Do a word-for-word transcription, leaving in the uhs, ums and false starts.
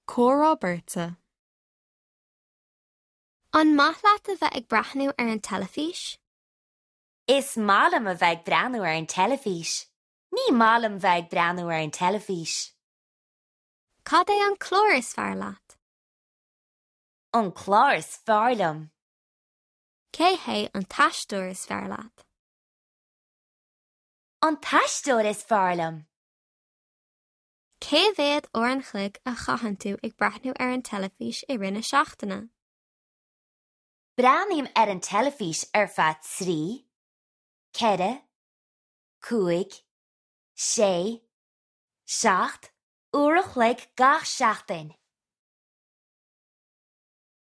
Comhrá beirte. An maith leat a bheith ag breathnú ar an teilifís? Is maith liom a bheith ag breathnú ar an teilifís. Ní maith liom bheith ag breathnú ar an teilifís. Cad é an clár is fearr leat? An clár is fearr liom. Cé hé an t-aisteoir is fearr leat? An t-aisteoir is fearr liom. Cé mhéad uair an chloig a chaitheann tú ag breathnú ar an teilifís i rith na seachtaine? Breathnaím ar an teilifís ar feadh trí, ceithre, cúig, sé, seacht, uair a chloig gach seachtain.